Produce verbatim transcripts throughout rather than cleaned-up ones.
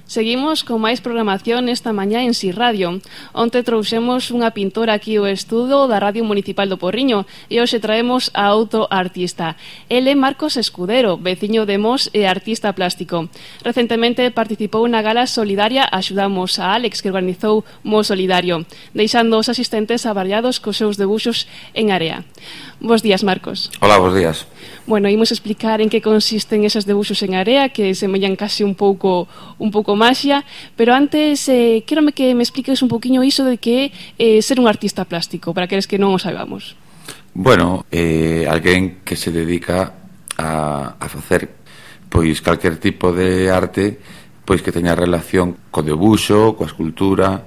Seguimos con máis programación esta mañá en Si Radio. Onte trouxemos unha pintora aquí ao estudo da Radio Municipal do Porriño e hoxe traemos a outro artista. El é Marcos Escudero, veciño de Mos e artista plástico. Recentemente participou na gala solidaria Axudamos a Alex, que organizou Mos Solidario, deixando os asistentes avariados cos seus debuxos en area. Bos días, Marcos. Hola, bos días. Bueno, imos explicar en que consisten eses debuxos en area, que semellan case un pouco un pouco maxia, pero antes eh, quérome que me expliques un poquinho iso de que é eh, ser un artista plástico, para aqueles que non o saibamos. Bueno, eh, alguén que se dedica a, a facer pois calquer tipo de arte pois que teña relación co debuxo, coa escultura.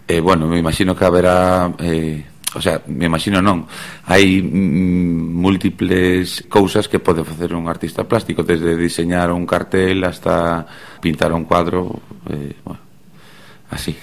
Eh, bueno, me imagino que haberá... Eh, O sea, me imagino non. Hai mm, múltiples cousas que pode facer un artista plástico, desde diseñar un cartel hasta pintar un cuadro, eh, bueno, así.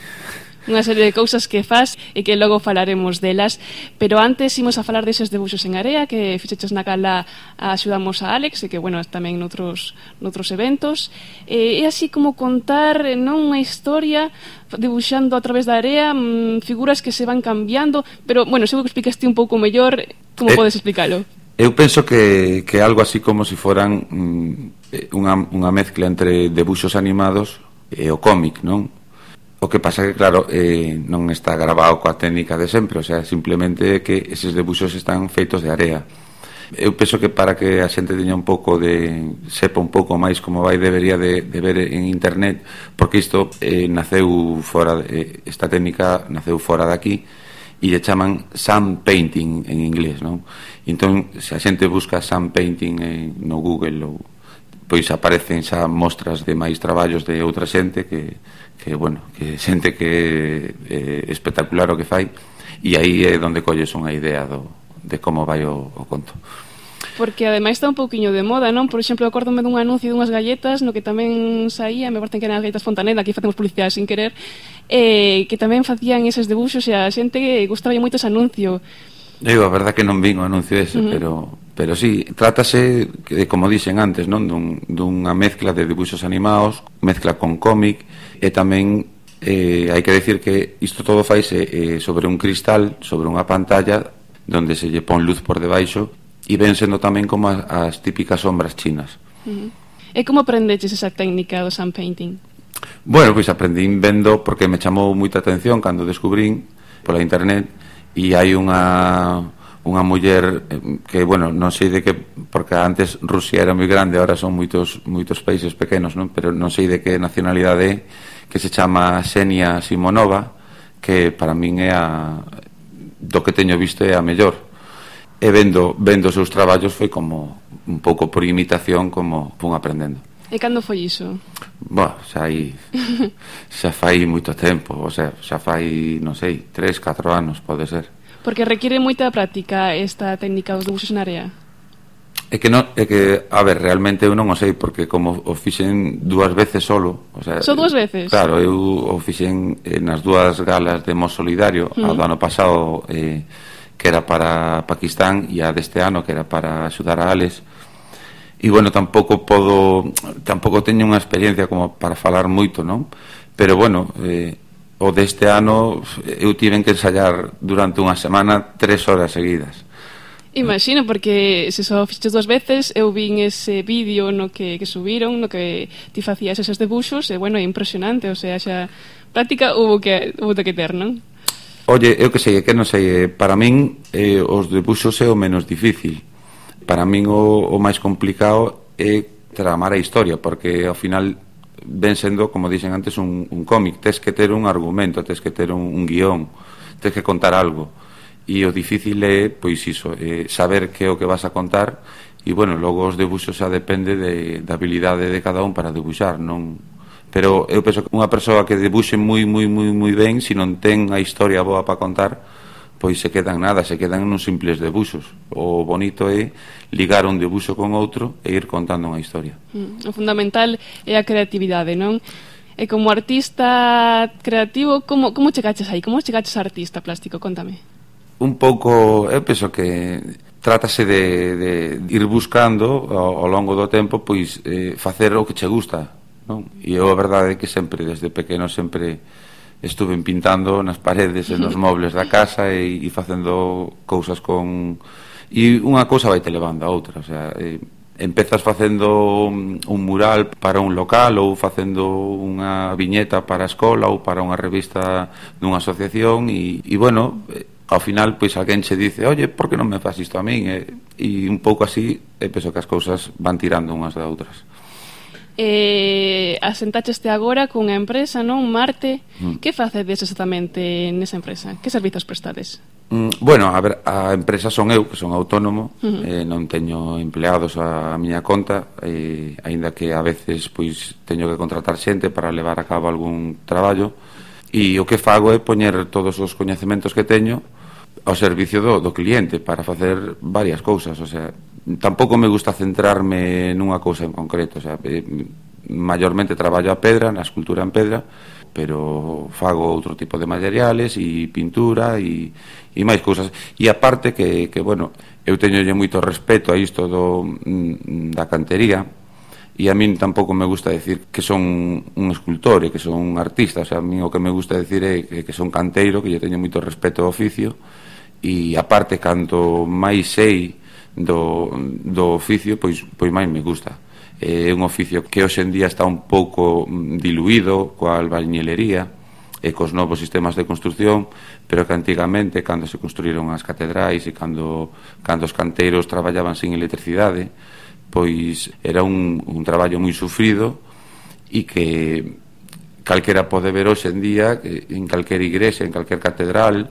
Unha serie de cousas que faz e que logo falaremos delas, pero antes imos a falar deses debuxos en area que fixeches na gala Axudamos a Alex e que, bueno, tamén noutros, noutros eventos. É así como contar non unha historia debuxando a través da area, mmm, figuras que se van cambiando, pero, bueno, seguro que explicaste un pouco mellor, como eh, podes explicalo? Eu penso que, que algo así como se si foran mm, unha, unha mezcla entre debuxos animados e o cómic, non? O que pasa que, claro, eh, non está grabado coa técnica de sempre, o sea, simplemente que eses debuxos están feitos de area. Eu penso que para que a xente teña un pouco de... sepa un pouco máis como vai debería de, de ver en internet, porque isto eh, naceu fora, de, esta técnica naceu fora de aquí, e lle chaman sun painting en inglés, non? Entón, se a xente busca sun painting eh, no Google, ou, pois aparecen xa mostras de máis traballos de outra xente que... que, bueno, que xente que é espectacular o que fai, e aí é onde colles unha idea do, de como vai o, o conto. Porque ademais está un pouquiño de moda, non? Por exemplo, acórdome dun anuncio dunhas galletas no que tamén saía, me parece que eran as galletas Fontaneda, aquí facemos publicidade sin querer, eh, que tamén facían eses debuxos e a xente gustaba moito ese anuncio. Digo, a verdad que non vin o anuncio ese, uh -huh. pero pero sí, trátase, que, como dixen antes, non, dun, dunha mezcla de debuxos animados, mezcla con cómic, e tamén eh, hai que decir que isto todo faise eh, sobre un cristal, sobre unha pantalla, donde se lle pon luz por debaixo, e ven sendo tamén como as, as típicas sombras chinas. Uh -huh. E como aprendeches esa técnica do sun painting? Bueno, pois aprendín vendo, porque me chamou moita atención cando descubrín pola internet, e hai unha unha muller que, bueno, non sei de que, porque antes Rusia era moi grande, ahora son moitos moitos países pequenos, non? Pero non sei de que nacionalidade é, que se chama Xenia Simonova, que para min é a do que teño visto é a mellor. E vendo vendo os seus traballos foi como un pouco por imitación, como fun aprendendo. E cando foi iso? Boa, xa hai xa fai moito tempo, o sea, xa fai, non sei, tres, catro anos pode ser. Porque requiere moita práctica esta técnica dos debuxos en area. É que non, é que, a ver, realmente eu non o sei, porque como o fixen dúas veces solo, o sea, só dúas veces? Claro, eu o fixen eh, nas dúas galas de Mos Solidario, uh -huh. a do ano pasado eh, que era para Pakistán, e a deste ano que era para axudar a Alex. E bueno, tampouco podo, tampouco teño unha experiencia como para falar moito, non? Pero bueno, eh, o deste ano eu tiven que ensayar durante unha semana tres horas seguidas. Imagino, porque se só fixes dúas veces, eu vin ese vídeo no que, que subiron, no que ti facías eses debuxos, e bueno, é impresionante, o sea, xa práctica hubo que, hubo que ter, non? Oye, eu que sei, que non sei, para min eh, os debuxos é o menos difícil. Para min o, o máis complicado é tramar a historia, porque ao final ven sendo, como dixen antes, un, un cómic. Tes que ter un argumento, tes que ter un, un guión, tes que contar algo, e o difícil é, pois iso, eh, saber que é o que vas a contar, e bueno, logo os debuxos xa depende de, da habilidade de cada un para debuxar, non? Pero eu penso que unha persoa que debuxe moi, moi, moi, moi ben, se non ten a historia boa para contar, pois se quedan nada, se quedan nun simples debuxos. O bonito é ligar un debuxo con outro e ir contando unha historia. Mm, o fundamental é a creatividade, non? E como artista creativo, como, como chegaches aí? Como chegaches a artista plástico? Contame. Un pouco, eu penso que trátase de, de ir buscando ao, ao longo do tempo, pois eh, facer o que che gusta. non? E eu a verdade é que sempre, desde pequeno, sempre estuve pintando nas paredes e nos mobles da casa e, e facendo cousas con... E unha cousa vai te levando a outra, o sea, eh, empezas facendo un mural para un local ou facendo unha viñeta para a escola ou para unha revista dunha asociación e, e bueno, ao final, pois alguén che dice, oye, por que non me faz isto a min? E, e un pouco así, e penso que as cousas van tirando unhas da outras. Eh, asentaxeste agora cunha empresa, non? Marte. Mm. Que facedes exactamente nesa empresa? Que servizos prestades? Mm, bueno, a ver, a empresa son eu, que son autónomo, uh-huh. eh, non teño empleados a, a miña conta, eh, aínda que a veces pois teño que contratar xente para levar a cabo algún traballo, e o que fago é poñer todos os coñecementos que teño ao servicio do, do cliente para facer varias cousas, o sea, tampouco me gusta centrarme nunha cousa en concreto, o sea, eh, maiormente traballo a pedra, na escultura en pedra, pero fago outro tipo de materiales e pintura e, e máis cousas, e aparte que, que bueno, eu teñolle moito respeto a isto do, da cantería, e a min tampouco me gusta decir que son un escultor e que son un artista, o sea, a min o que me gusta decir é que, que son canteiro, que lle teño moito respeto ao oficio, e aparte, canto máis sei do, do oficio, pois, pois máis me gusta. É un oficio que hoxe en día está un pouco diluído coa albañilería e cos novos sistemas de construcción, pero que antigamente, cando se construíron as catedrais e cando, cando os canteiros traballaban sin electricidade, pois era un, un traballo moi sufrido e que calquera pode ver hoxe en día en calquera igrexa, en calquer catedral,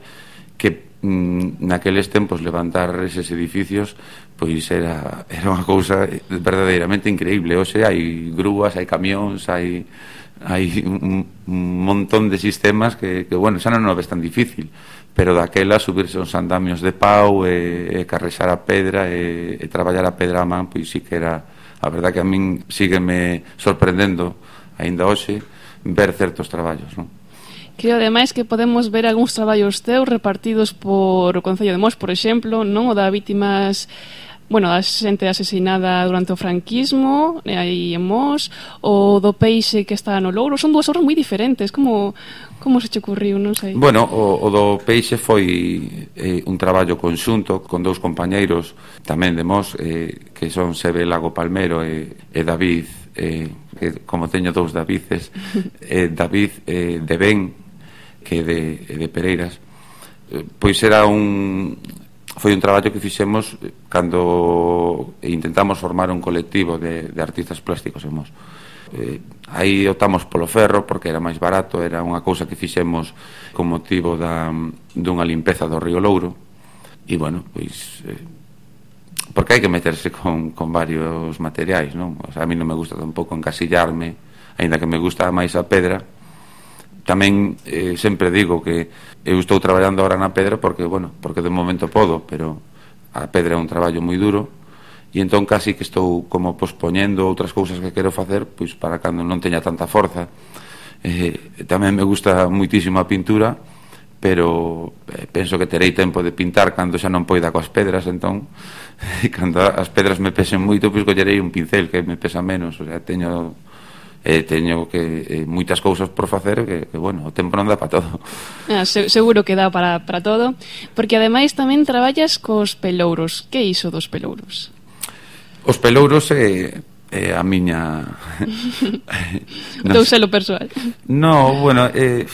que naqueles tempos levantar eses edificios pois era, era unha cousa verdadeiramente increíble. Hoxe hai grúas, hai camións, hai, hai un, un montón de sistemas que, que bueno, xa non o ves tan difícil, pero daquela subirse uns andamios de pau e, e carrexar a pedra e, e traballar a pedra a man, pois sí que era, a verdad que a min sígueme sorprendendo aínda hoxe ver certos traballos, non? Creo, ademais, que podemos ver algúns traballos teus repartidos por o Concello de Mos, por exemplo, non? O da vítimas, bueno, da xente asesinada durante o franquismo, aí en Mos, o do peixe que está no Louro. Son dúas obras moi diferentes. Como, como se che ocurriu, non sei? Bueno, o, o do peixe foi eh, un traballo conxunto con dous compañeiros tamén de Mos, eh, que son Sebe Lago Palmero e, e David, eh, que como teño dous Davides, eh, David eh, de Ben, que de, de Pereiras, pois era un foi un traballo que fixemos cando intentamos formar un colectivo de, de artistas plásticos en Mos. Eh, aí optamos polo ferro porque era máis barato, era unha cousa que fixemos con motivo da, dunha limpeza do río Louro, e bueno, pois eh, porque hai que meterse con, con varios materiais, non? O sea, a mí non me gusta tampouco encasillarme, aínda que me gusta máis a pedra. Tamén eh, sempre digo que eu estou traballando ahora na pedra porque, bueno, porque de momento podo, pero a pedra é un traballo moi duro e entón casi que estou como pospoñendo outras cousas que quero facer pois para cando non teña tanta forza. Eh, tamén me gusta muitísimo a pintura, pero eh, penso que terei tempo de pintar cando xa non poida coas pedras, entón cando as pedras me pesen moito, pois collerei un pincel que me pesa menos, o sea, teño eh, teño que eh, moitas cousas por facer que, que bueno, o tempo non dá para todo. Ah, se, seguro que dá para, para todo, porque ademais tamén traballas cos pelouros. Que iso dos pelouros? Os pelouros é, é a miña no, teu selo persoal. No, bueno, é,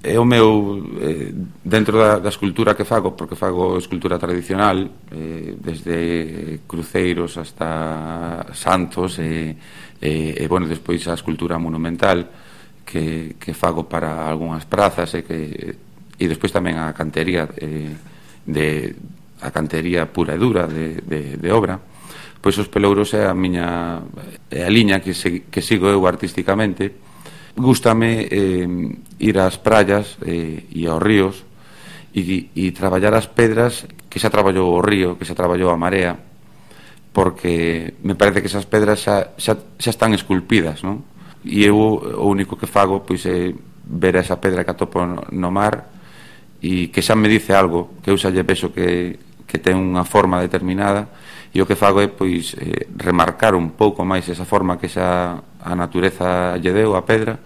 é o meu eh, dentro da, da escultura que fago, porque fago escultura tradicional, eh, desde cruceiros hasta santos e E, e bueno, despois a escultura monumental que, que fago para algunhas prazas e que e despois tamén a cantería eh, de a cantería pura e dura de, de, de obra. Pois os pelouros é a miña é a liña que, se, que sigo eu artísticamente. Gústame eh, ir ás praias eh, e aos ríos e, e traballar as pedras que xa traballou o río, que xa traballou a marea, porque me parece que esas pedras xa, xa, xa están esculpidas, non? E eu o único que fago pois é ver esa pedra que atopo no mar e que xa me dice algo, que eu xa lle vexo que, que ten unha forma determinada e o que fago é pois eh, remarcar un pouco máis esa forma que xa a natureza lle deu a pedra,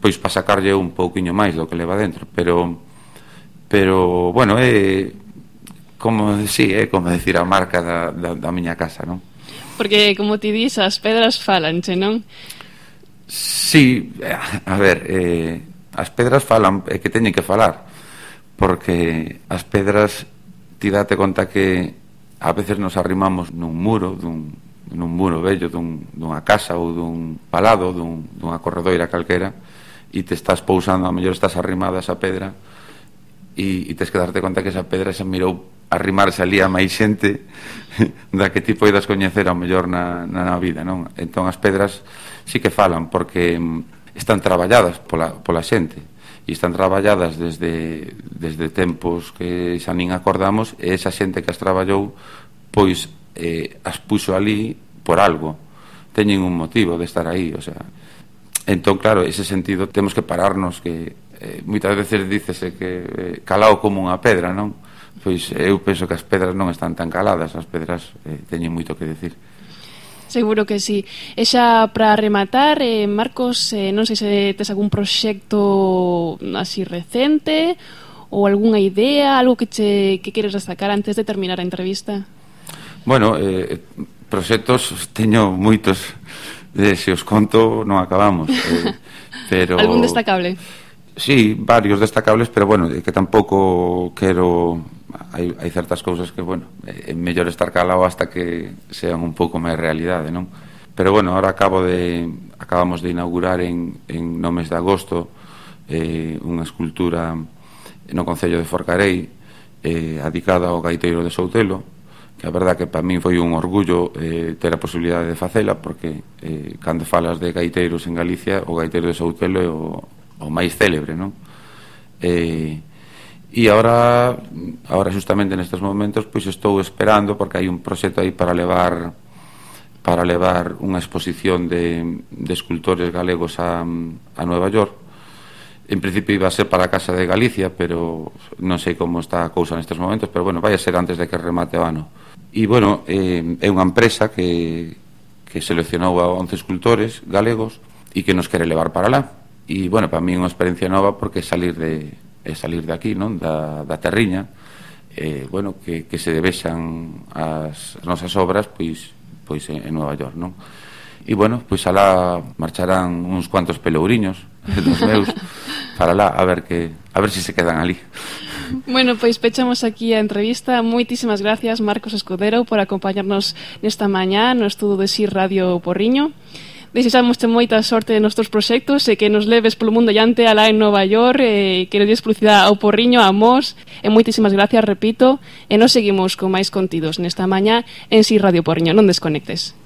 pois para sacarlle un pouquiño máis do que leva dentro, pero pero bueno, é como, sí, é como decir a marca da, da, da miña casa, non? Porque, como ti dis, as pedras falanche, non? Sí, a ver, eh, as pedras falan, é que teñen que falar, porque as pedras, ti date conta que a veces nos arrimamos nun muro, dun, nun muro vello, dun, dunha casa ou dun palado, dun, dunha corredoira calquera, e te estás pousando, a mellor estás arrimado a esa pedra, e, e tes que darte conta que esa pedra se mirou arrimarse ali a máis xente da que ti poidas coñecer ao mellor na, na, na vida, non? Entón as pedras sí que falan porque están traballadas pola, pola xente e están traballadas desde, desde tempos que xa nin acordamos, e esa xente que as traballou pois eh, as puxo ali por algo, teñen un motivo de estar aí, o sea, entón claro, ese sentido temos que pararnos, que eh, moitas veces dícese que eh, calao como unha pedra, non? Pois eu penso que as pedras non están tan caladas, as pedras eh, teñen moito que decir. Seguro que sí. E xa para rematar, eh, Marcos, eh, non sei se tes algún proxecto así recente ou algunha idea, algo que che que queres destacar antes de terminar a entrevista. Bueno, eh, proxectos teño moitos, eh, se os conto non acabamos, eh, pero algún destacable? Sí, varios destacables, pero bueno, que tampouco quero, hai, hai certas cousas que, bueno, é mellor estar calado hasta que sean un pouco máis realidade, non? Pero bueno, ahora acabo de acabamos de inaugurar en, en no mes de agosto eh, unha escultura no concello de Forcarei eh, adicada ao gaiteiro de Soutelo, que a verdad que para min foi un orgullo eh, ter a posibilidade de facela, porque eh, cando falas de gaiteiros en Galicia, o gaiteiro de Soutelo é o o máis célebre, non? Eh, e agora, agora justamente nestes momentos, pois estou esperando, porque hai un proxecto aí para levar para levar unha exposición de, de escultores galegos a, a Nueva York. En principio iba a ser para a Casa de Galicia, pero non sei como está a cousa nestes momentos, pero bueno, vai a ser antes de que remate o ano. E bueno, eh, é unha empresa que, que seleccionou a once escultores galegos e que nos quere levar para lá. E, bueno, para mí é unha experiencia nova porque salir de, é salir de aquí, non? Da, da terriña, eh, bueno, que, que se debexan as, as nosas obras, pois, pois en, en Nueva York, non? E, bueno, pois alá marcharán uns cuantos pelouriños dos meus para lá, a ver que a ver se si se quedan ali. Bueno, pois pechamos aquí a entrevista. Moitísimas gracias, Marcos Escudero, por acompañarnos nesta mañá no estudo de S I Radio Porriño. Desexamos moita sorte nos teus proxectos e que nos leves polo mundo allante alá en Nova York, e que nos des publicidade ao Porriño, a Mos, e moitísimas gracias, repito, e nos seguimos con máis contidos nesta mañá en S I Radio Porriño. Non desconectes.